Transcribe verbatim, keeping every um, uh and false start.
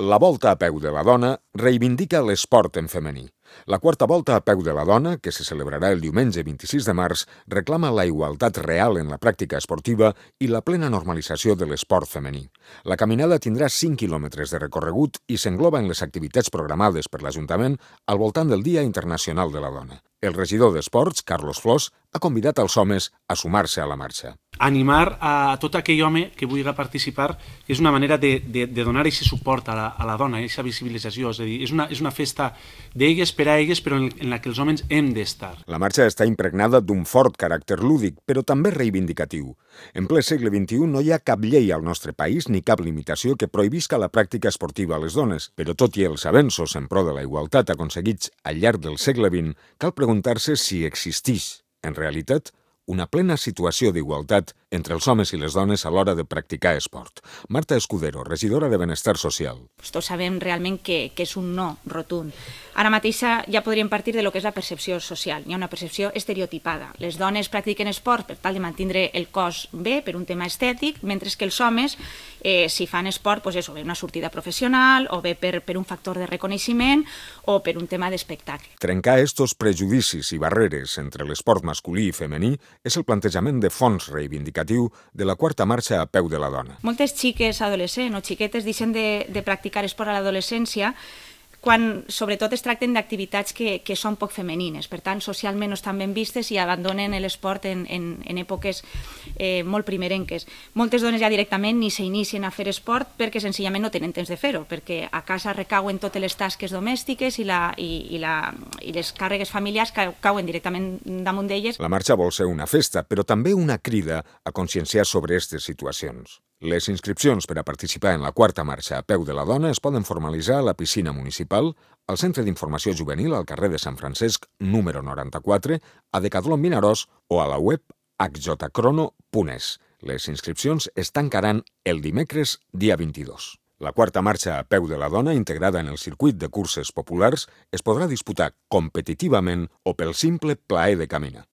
La Volta a peu de la dona reivindica l'esport en femení. La quarta Volta a peu de la dona, que se celebrarà el diumenge vint-i-sis de març, reclama la igualtat real en la pràctica esportiva i la plena normalització de l'esport femení. La caminada tindrà cinc quilòmetres de recorregut i s'engloba en les activitats programades per l'Ajuntament al voltant del Dia Internacional de la Dona. El regidor d'Esports, Carlos Flors, ha convidat els homes a sumar-se a la marxa. Animar a tot aquell home que vulgui participar, que és una manera de, de, de donar aquest suport a la, a la dona, aquesta visibilització. És a dir, és una, és una festa d'elles per a elles, però en, en la que els homes hem d'estar. La marxa està impregnada d'un fort caràcter lúdic, però també reivindicatiu. En ple segle vint-i-u no hi ha cap llei al nostre país ni cap limitació que prohibisca la pràctica esportiva a les dones, però tot i els avenços en pro de la igualtat aconseguits al llarg del segle vint, cal preguntar-se si existeix, en realitat, una plena situació d'igualtat entre els homes i les dones a l'hora de practicar esport. Marta Escudero, regidora de Benestar Social. Pues tots sabem realment que, que és un no rotund. Ara mateix ja podríem partir de lo que és la percepció social. Hi ha una percepció estereotipada. Les dones practiquen esport per tal de mantenir el cos bé, per un tema estètic, mentre que els homes, eh, si fan esport, pues eso, bé una sortida professional, o bé per, per un factor de reconeixement, o per un tema d'espectacle. Trencar estos prejudicis i barreres entre l'esport masculí i femení és el plantejament de fons reivindicatiu de la quarta marxa a peu de la dona. Moltes xiques adolescents o xiquetes deixen de, de practicar esport a l'adolescència quan sobretot es tracten d'activitats que, que són poc femenines, per tant socialment no estan ben vistes i abandonen l'esport en, en, en èpoques eh, molt primerenques. Moltes dones ja directament ni s'inicien a fer esport perquè senzillament no tenen temps de fer-ho, perquè a casa recauen totes les tasques domèstiques i, la, i, i, la, i les càrregues familiars que cauen directament damunt d'elles. La marxa vol ser una festa, però també una crida a conscienciar sobre aquestes situacions. Les inscripcions per a participar en la quarta marxa a peu de la dona es poden formalitzar a la piscina municipal, al Centre d'Informació Juvenil al carrer de Sant Francesc, número noranta-quatre, a Decathlon Vinaròs o a la web h j crono punt es. Les inscripcions es tancaran el dimecres, dia vint-i-dos. La quarta marxa a peu de la dona, integrada en el circuit de curses populars, es podrà disputar competitivament o pel simple plaer de caminar.